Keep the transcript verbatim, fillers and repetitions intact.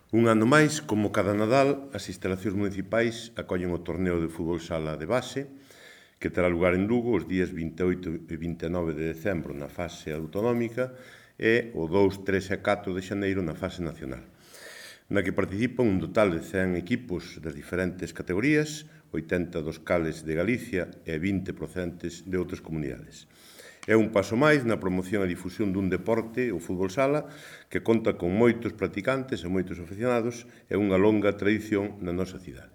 Un ano máis, como cada Nadal, as instalacións municipais acollen o torneo de fútbol sala de base, que terá lugar en Lugo os días vinte e oito e vinte e nove de decembro na fase autonómica e o dous, tres e catro de xaneiro na fase nacional, na que participan un total de cen equipos das diferentes categorías, oitenta dos cales de Galicia e vinte procedentes de outras comunidades. É un paso máis na promoción e difusión dun deporte, o fútbol sala, que conta con moitos practicantes e moitos aficionados e unha longa tradición na nosa cidade.